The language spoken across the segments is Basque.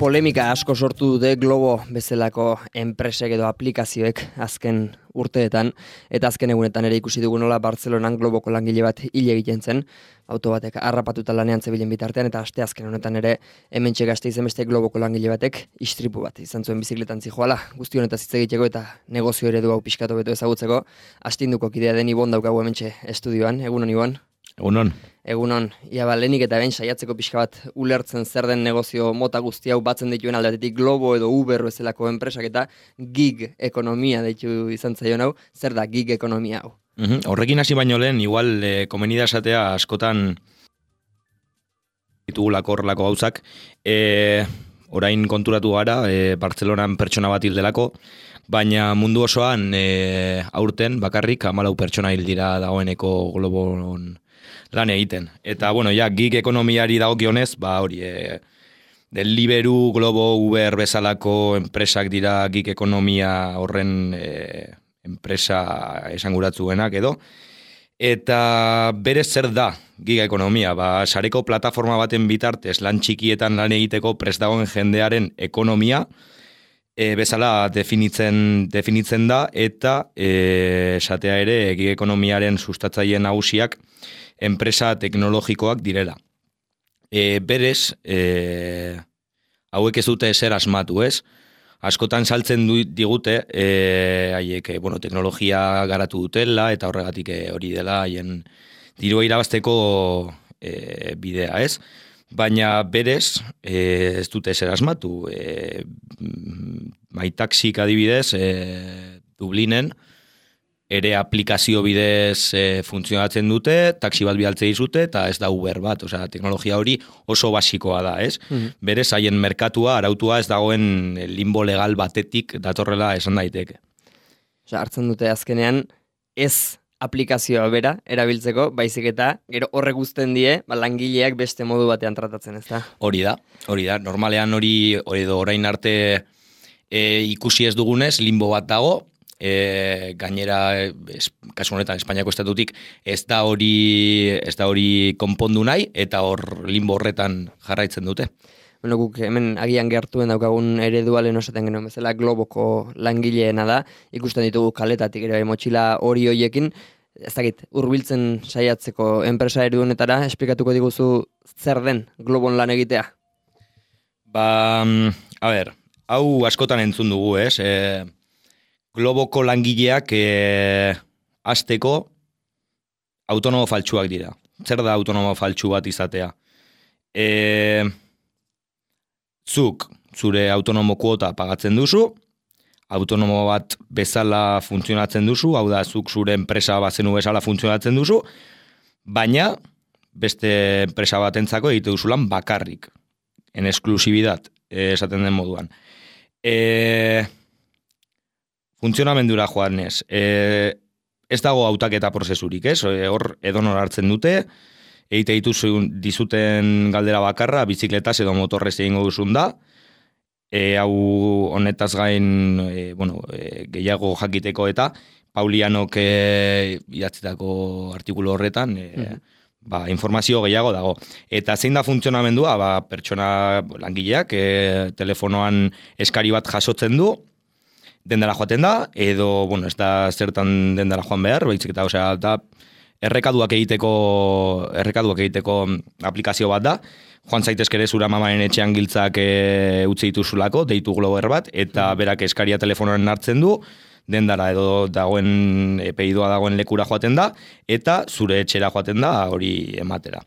Polemika asko sortu dute Globo bezalako enpresek edo aplikazioek azken urteetan, eta azken egunetan ere ikusi dugu nola Bartzelonan Globoko langile bat hil egiten zen, auto batek harrapatuta lanean zebilen bitartean, eta aste azken honetan ere hementxe Gasteizen beste Globoko langile batek istripu bat izan zuen bizikletan zijoala, guzti honetaz hitz egiteko eta negozio eredu hau pixkatu beto ezagutzeko, astinduko kidea den Ibon daukagu hementxe estudioan. Egunon, Ibon? Egunon. Egunon, ia lehenik eta behin saiatzeko pixka bat ulertzen zer den negozio mota guzti hau batzen dituen aldetik Globo edo Uber bezalako enpresak eta gig ekonomia deitu izan zaion hau, zer da gig ekonomia hau? Horrekin hasi baino lehen, igual komeni da esatea askotan ditugulako horrelako gauzak, orain konturatu gara, Bartzelonan pertsona bat hil delako, baina mundu osoan aurten bakarrik 14 pertsona hil dira dagoeneko Globon lan egiten. Eta, bueno, ja, gig ekonomiari dagokionez, hori, Deliveroo, Globo, Uber bezalako enpresak dira gig ekonomia horren enpresa esanguratsuenak edo. Eta berez zer da gig ekonomia? Sareko plataforma baten bitartez lan txikietan lan egiteko prest dagoen jendearen ekonomia bezala definitzen da, eta esatea ere gig ekonomiaren sustatzaileen nagusiak enpresa teknologikoak direla. Berez, hauek ez dute ezer asmatu, ez? Askotan saltzen digute, haiek, teknologia garatu dutela, eta horregatik hori dela, haien dirua irabazteko bidea, ez? Baina berez, ez dute ezer asmatu. MyTaxik adibidez, Dublinen, ere aplikazio bidez funtzionatzen dute, taxi bat bidaltze dizute, eta ez da Uber bat, osea, teknologia hori oso basikoa da, ez? Berez, haien merkatua, arautua ez dagoen limbo legal batetik datorrela esan daiteke. Osea, hartzen dute azkenean, ez aplikazioa bera erabiltzeko, baizik eta gero horrek guzten die, langileak beste modu batean tratatzen, ez da? Hori da. Normalean hori, edo orain arte ikusi ez dugunez, limbo bat dago, gainera, kasu honetan Espainiako estatutik ez da hori konpondu nahi, eta hor limbo horretan jarraitzen dute. Bueno, guk hemen agian gertuen daukagun eredua lehen osaten genuen bezala Globoko langileena da, ikusten ditugu kaletatik ere motxila hori hoiekin, ez dakit, hurbiltzen saiatzeko enpresa eredunetara, esplikatuko diguzu zer den Globon lan egitea? Hau askotan entzun dugu, ez? Globoko langileak hasteko autonomo faltsuak dira. Zer da autonomo faltsu bat izatea? Zuk zure autonomo kuota pagatzen duzu, autonomo bat bezala funtzionatzen duzu, hau da, zuk zure enpresa bazenu bezala funtzionatzen duzu, baina beste enpresa batentzako egite duzulan bakarrik, en exclusividad, esaten den moduan. Funtzionamendura joanez, ez dago hautaketa prozesurik, ez? Hor edonor hartzen dute, egite dizuten galdera bakarra, bizikletaz edo motorrez egingo duzun da, hau honetaz gain, gehiago jakiteko eta Paulianok idatzitako artikulu horretan, informazio gehiago dago. Eta zein da funtzionamendua, pertsona langileak telefonoan eskari bat jasotzen du, dendara joaten da, edo, ez da zertan dendara joan behar, baizik eta, da, errekaduak egiteko aplikazio bat da, joan zaitezke ere zura mamaren etxean giltzak utzi dituzulako, deitu Glober bat, eta berak eskaria telefonoren hartzen du, dendara edo dagoen pedidoa dagoen lekura joaten da, eta zure etxera joaten da hori ematera.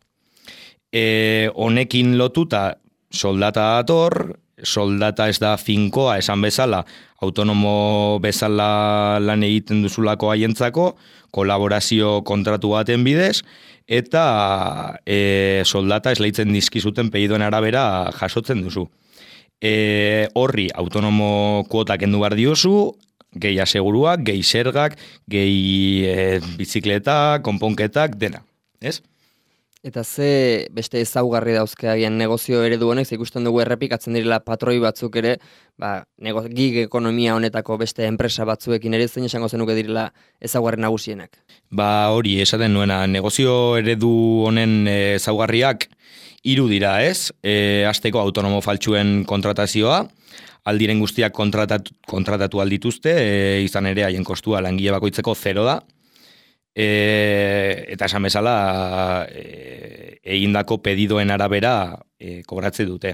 Honekin lotuta soldata dator, soldata ez da finkoa esan bezala, autonomo bezala lan egiten duzulako haientzako, kolaborazio kontratu baten bidez, eta soldata esleitzen dizkizuten pedidoen arabera jasotzen duzu. Horri autonomo kuotak kendu behar diozu, gehi aseguruak, gehi zergak, gehi bizikleta, konponketak, dena, ez? Eta ze beste ezaugarri dauzke agian negozio eredu honek, ze ikusten dugu errepikatzen direla patroi batzuk ere, gig ekonomia honetako beste enpresa batzuekin ere zein esango zenuke direla ezaugarri nagusienak. Hori, esaten nuena, negozio eredu honen ezaugarriak 3 dira, ez? Hasteko autonomo faltsuen kontratazioa, aldiren guztiak kontratatu aldituzte, izan ere haien kostua langile bakoitzeko 0 da, eta esan bezala egindako pedidoen arabera kobratze dute.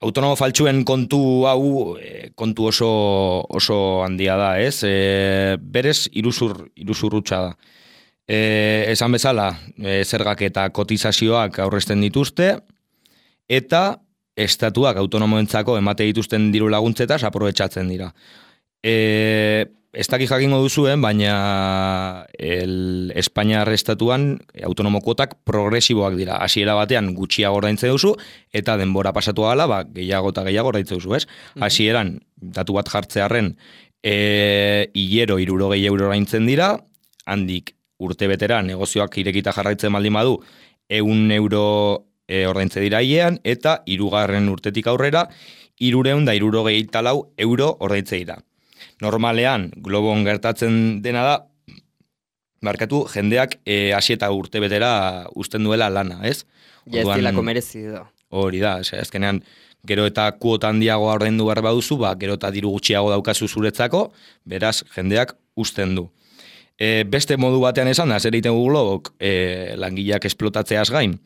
Autonomo faltsuen kontu hau kontu oso handia da, ez? Berez iruzur hutsa da. Esan bezala, zergak eta kotizazioak aurrezten dituzte, eta estatuak autonomoentzako emate dituzten diru laguntzetaz aprobetxatzen dira. Ez dakik jakingo duzuen, baina Espainiar estatuan autonomo kuotak progresiboak dira. Hasiera batean gutxiago ordaintzen duzu, eta denbora pasatu ahala, gehiago eta gehiago ordaintzen duzu, ez? Hasieran datu bat jartzearren, hilero 60 euro ordaintzen dira, handik urte betera negozioak irekita jarraitzen baldin badu, 100 euro ordaintze dira hilean, eta 3. urtetik aurrera, 364 euro ordaintze dira. Normalean, globon gertatzen dena da, jendeak hasi eta urte betera uzten duela lana, ez? Ja, ez dilako merezi da. Hori da, azkenean, gero eta kuota handiagoa ordaindu behar baduzu, gero eta diru gutxiago daukazu zuretzako, beraz, jendeak uzten du. Beste modu batean esan da, zer egiten gu globok, langileak esplotatzeaz gain,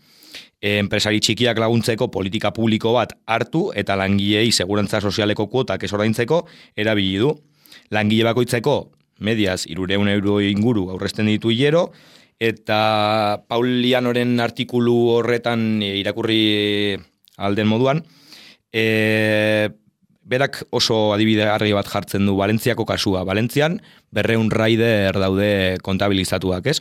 enpresari txikiak laguntzeko politika publiko bat hartu eta langilei segurantza sozialeko kuotak ez ordaintzeko erabili du. Langile bakoitzeko mediaz 300 euro inguru aurrezten ditu hilero, eta Paul Lianoren artikulu horretan irakurri alden moduan, berak oso adibide argi bat jartzen du Valentziako kasua. Valentzian 200 rider daude kontabilizatuak, ez?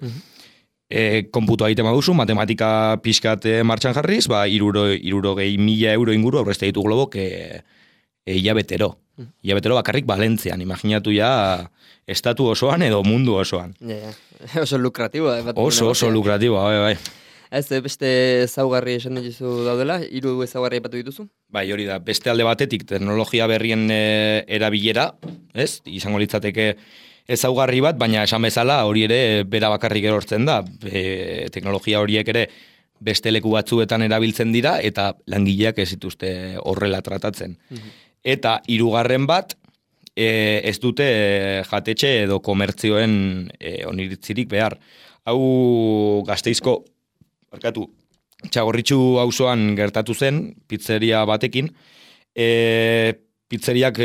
Konputua egiten baduzu, matematika pixkat martxan jarriz, 60.000 euro inguru aurrezte ditu globok hilabetero. Hilabetero bakarrik Valentzian, imaginatu ja estatu osoan edo mundu osoan. Oso lukratiboa. Oso lukratiboa, bai. Ez, beste ezaugarri esan dituzu daudela, 3 ezaugarri aipatu dituzu? Bai, hori da, beste alde batetik teknologia berrien erabilera, ez? Izango litzateke ezaugarri bat, baina esan bezala hori ere bera bakarrik erortzen da. Teknologia horiek ere beste leku batzuetan erabiltzen dira, eta langileak ez dituzte horrela tratatzen. Eta 3. bat, ez dute jatetxe edo komertzioen oniritzirik behar. Hau Gasteizko, Txagorritxu auzoan gertatu zen, pizzeria batekin, pizzeriak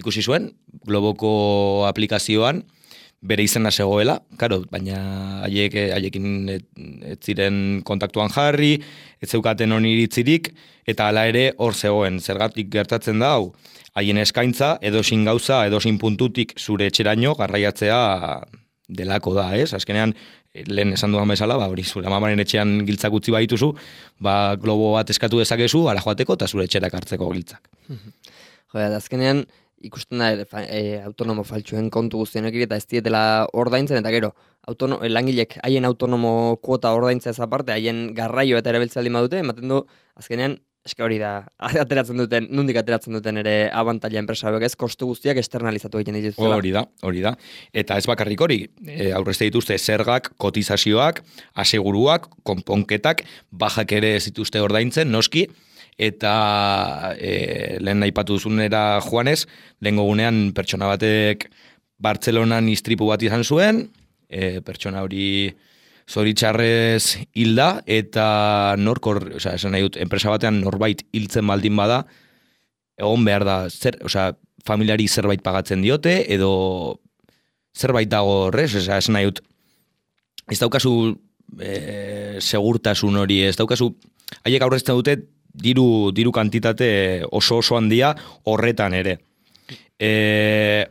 ikusi zuen, globoko aplikazioan, bere izena zegoela, baina haiekin ez ziren kontaktuan jarri, ez zeukaten oniritzirik, eta hala ere hor zegoen, zergatik gertatzen da hau, haien eskaintza, edosin gauza, edosin puntutik zure etxeraino garraiatzea delako da, ez? Azkenean, lehen esan duan bezala, hori zure amamaren etxean giltzak utzi baituzu, globo bat eskatu dezakezu, ara joateko, eta zure etxerak hartzeko giltzak. Azkenean, ikusten da autonomo faltsuen kontu guztienek eta ez dietela ordaintzen, eta gero, langilek haien autonomo kuota ordaintzea ez aparte, haien garraio eta erabiltzea aldin badute, ematen du, azkenean, eske hori da, nondik ateratzen duten ere abantaila enpresa hauek ez, kostu guztiak externalizatu egiten dituzela. Hori da. Eta ez bakarrik hori, aurrezte dituzte zergak, kotizazioak, aseguruak, konponketak, bajak ere ez dituzte ordaintzen, noski, eta lehen aipatu duzunera joanez, lehen gogunean pertsona batek Bartzelonan istripu bat izan zuen, pertsona hori zoritxarrez hilda, eta esan nahi dut, enpresa batean norbait hiltzen baldin bada, egon behar da, familiari zerbait pagatzen diote, edo zerbait dago horrez, esan nahi dut, ez daukazu segurtasun hori, ez daukazu, haiek aurrezten dute, diru kantitate oso handia horretan ere.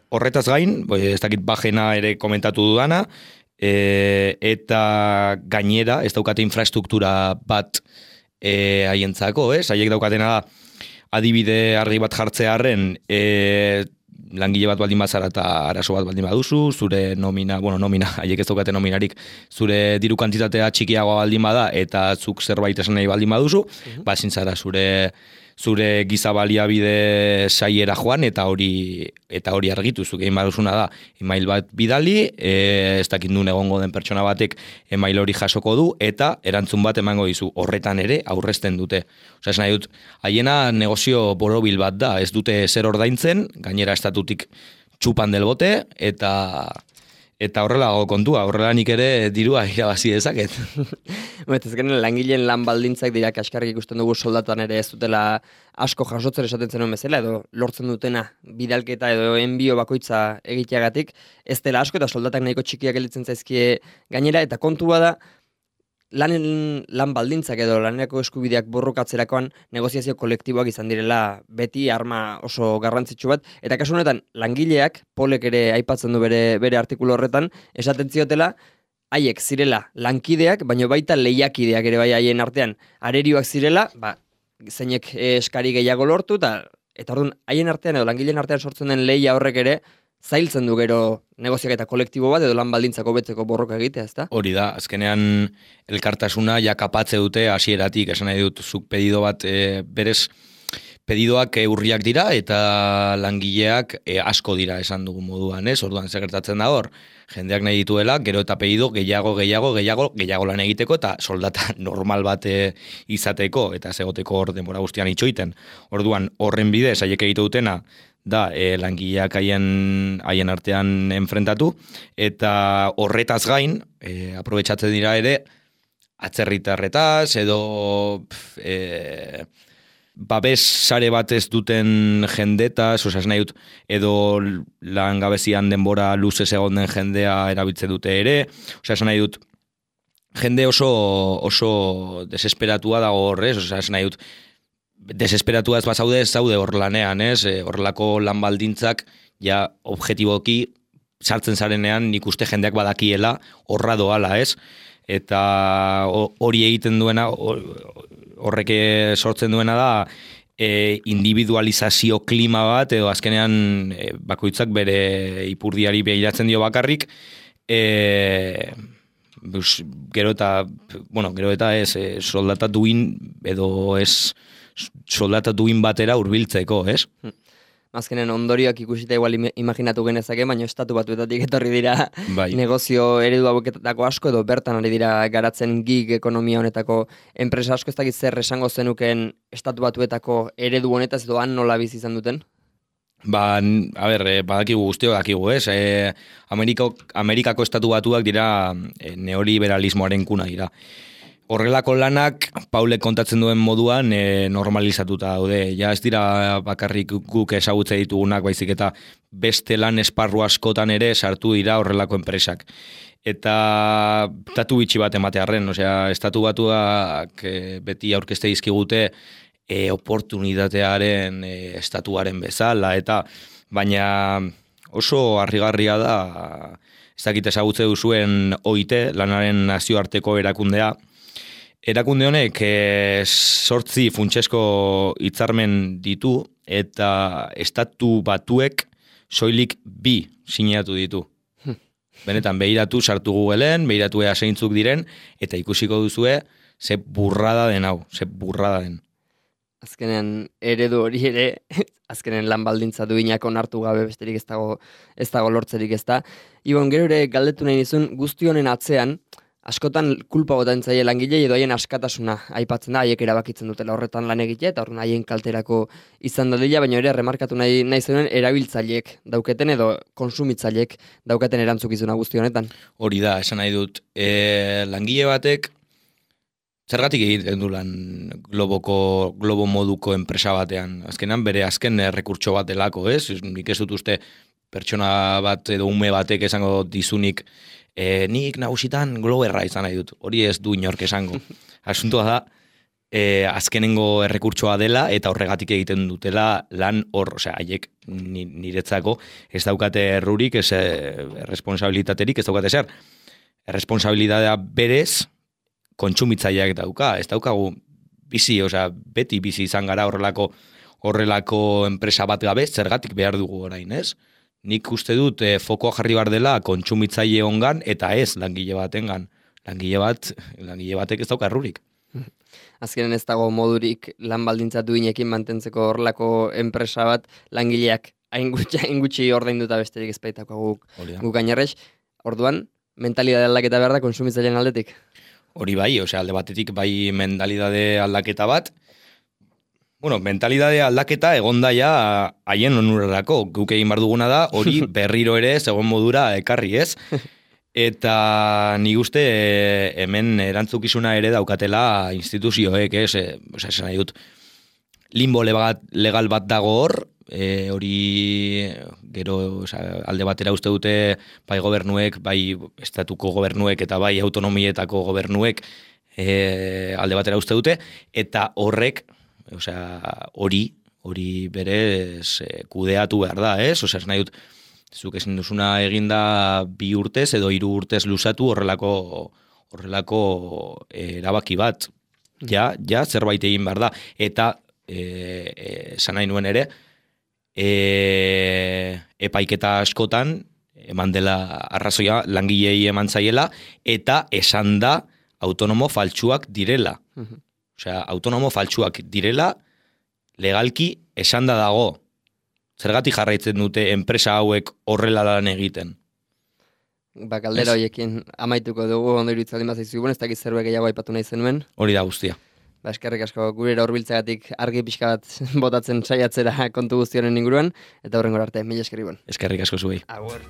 Horretaz gain, ez dakit bajena ere komentatu dudana, eta gainera, ez daukate infrastruktura bat haientzako, ez? Haiek daukatena da, adibide argi bat jartzearren, langile bat baldin bazara eta arazo bat baldin baduzu, zure nomina, haiek ez daukate nominarik, zure diru kantitatea txikiagoa baldin bada eta zuk zerbait esan nahi baldin baduzu, ezin zara zure giza baliabide saiera joan eta hori argitu, zuk egin baduzuna da email bat bidali, ez dakit nun egongo den pertsona batek email hori jasoko du eta erantzun bat emango dizu, horretan ere aurrezten dute. Osea, esan nahi dut, haiena negozio borobil bat da, ez dute zer ordaintzen, gainera estatutik txupan del bote eta horrela kontua, horrela nik ere dirua irabazi dezaket. Ezkenen langileen lan baldintzak dira kaskarrik ikusten dugu soldatan ere ez dutela asko jasotzen esaten zenuen bezala, edo lortzen dutena bidalketa edo enbio bakoitza egiteagatik, ez dela asko eta soldatak nahiko txikiak gelditzen zaizkie gainera, eta kontua da, lan baldintzak edo lanerako eskubideak borrokatzerakoan negoziazio kolektiboak izan direla beti arma oso garrantzitsu bat, eta kasu honetan langileak, Polek ere aipatzen du bere artikulu horretan, esaten ziotela, haiek zirela lankideak, baina baita lehiakideak ere bai haien artean arerioak zirela, zeinek eskari gehiago lortu, eta orduan haien artean edo langileen artean sortzen den lehia horrek ere, zailtzen du gero negoziaketa kolektibo bat edo lan baldintzako betzeko borroka egitea, ezta? Hori da, azkenean elkartasuna ja kapatze dute hasieratik, esan nahi dut, zuk pedido bat berez, pedidoak urriak dira eta langileak asko dira esan dugu moduan, ez? Orduan segertatzen da hor, jendeak nahi dituela, gero eta pedido gehiago lan egiteko eta soldata normal bat izateko eta segoteko hor denbora guztian itxoiten. Orduan horren bidez haiek egite dutena da langileak haien artean enfrentatu eta horretaz gain aprobetxatzen dira ere atzerritarretaz edo babes sare bat ez duten jendetaz, osea nahi dut, edo langabezian denbora luzez egon den jendea erabiltzen dute ere, osea nahi dut, jende oso desesperatua dago horrez, osea nahi dut, desesperatua ez zaude hor lanean, ez? Horrelako lan baldintzak, ja objetiboki sartzen zarenean nik uste jendeak badakiela horra doala, ez? Eta hori egiten duena, horrek sortzen duena da individualizazio klima bat, edo azkenean bakoitzak bere ipurdiari behiratzen dio bakarrik, gero eta ez soldata duin edo ez soldata duin batera hurbiltzeko, ez? Azkenen ondorioak ikusita igual imaginatu genezake, baina estatu batuetatik etorri dira negozio eredu haueketako asko, edo bertan ari dira garatzen gig ekonomia honetako enpresa asko, ez dakit zer esango zenuken estatu batuetako eredu honetaz edo han nola bizi izan duten? Badakigu guztiok dakigu, ez? Amerikako estatu batuak dira neoliberalismoaren kuna dira. Horrelako lanak, Paulek kontatzen duen moduan normalizatuta daude. Ja ez dira bakarrik guk ezagutze ditugunak, baizik eta beste lan esparru askotan ere sartu dira horrelako enpresak. Eta datu bitxi bat ematearren, osea, estatu batuak beti aurkezte dizkigute oportunitatearen estatuaren bezala, eta baina oso harrigarria da, ez dakit ezagutze duzuen OIT, lanaren nazioarteko erakundea. Erakunde honek 8 funtsesko hitzarmen ditu eta estatu batuek soilik 2 sinatu ditu. Benetan, behiratu sartu Googleen, behiratu zeintzuk diren, eta ikusiko duzue ze burrada den hau, ze burrada den. Azkenen eredu hori ere, azkenen lan baldintza duinak onartu gabe besterik ez dago lortzerik ez da. Ibon, gero ere galdetu nahi nizun, guzti honen atzean, askotan kulpa botatzen zaie langilei edo haien askatasuna aipatzen da, haiek erabakitzen dutela horretan lan egitea, eta horren haien kalterako izan dadila, baina ere remarkatu nahi zuen erabiltzaileek dauketen edo konsumitzaileek daukaten erantzukizuna guzti honetan. Hori da, esan nahi dut, langile batek zergatik egiten du lan globo moduko enpresa batean. Azkenan bere azken errekurtso bat delako, ez? Nik ez dut uste pertsona bat edo ume batek esango dizunik nik nagusitan globerra izan nahi dut. Hori ez du inork esango. Asuntoa da, azkenengo errekurtsoa dela eta horregatik egiten dutela lan hor, osea, haiek niretzako ez daukate errurik, ez responsabilitaterik, ez daukate zer. Responsabilitatea berez kontsumitzaileak dauka, ez daukagu bizi, osea, beti bizi izan gara horrelako horrelako enpresa bat gabe, zergatik behar dugu orain, ez? Nik uste dut fokoa jarri behar dela kontsumitzaile ongan eta ez langile batengan. Langile batek ez dauka errurik. Azkenen ez dago modurik lan baldintza duinekin mantentzeko horrelako enpresa bat langileak hain gutxi ordainduta besterik ez baitako guk gainerrez. Orduan, mentalidade aldaketa behar da kontsumitzaileen aldetik. Hori bai, alde batetik bai mentalidade aldaketa bat. Bueno, mentalidade aldaketa egonda ja haien onurarako. Guk egin behar duguna da, hori berriro ere zegoen modura ekarri, ez? Eta nik uste hemen erantzukizuna ere daukatela instituzioek, ez? Esan nahi dut, limbo legal bat dago hor, hori gero alde batera uste dute bai gobernuek, bai estatuko gobernuek eta bai autonomietako gobernuek alde batera uste dute, eta horrek, hori berez kudeatu behar da, ez? Esan nahi dut, zuk ezin duzuna eginda 2 urtez edo 3 urtez luzatu horrelako erabaki bat. Ja, zerbait egin behar da. Eta, esan nahi nuen ere, epaiketa askotan, eman dela arrazoia langilei eman zaiela, eta esan da autonomo faltsuak direla. Autonomo faltsuak direla, legalki esan da dago. Zergatik jarraitzen dute enpresa hauek horrela lan egiten? Galdera horiekin amaituko dugu, ondo iruditzen bat zaizu, ez dakit zerbait gehiago aipatu nahi zenuen. Hori da guztia. Eskerrik asko gure hurbiltzeagatik argi pixka bat botatzen saiatzera kontu guztionen inguruan, eta horrengora arte, mila eskerrik bon. Eskerrik asko zuei. Agur.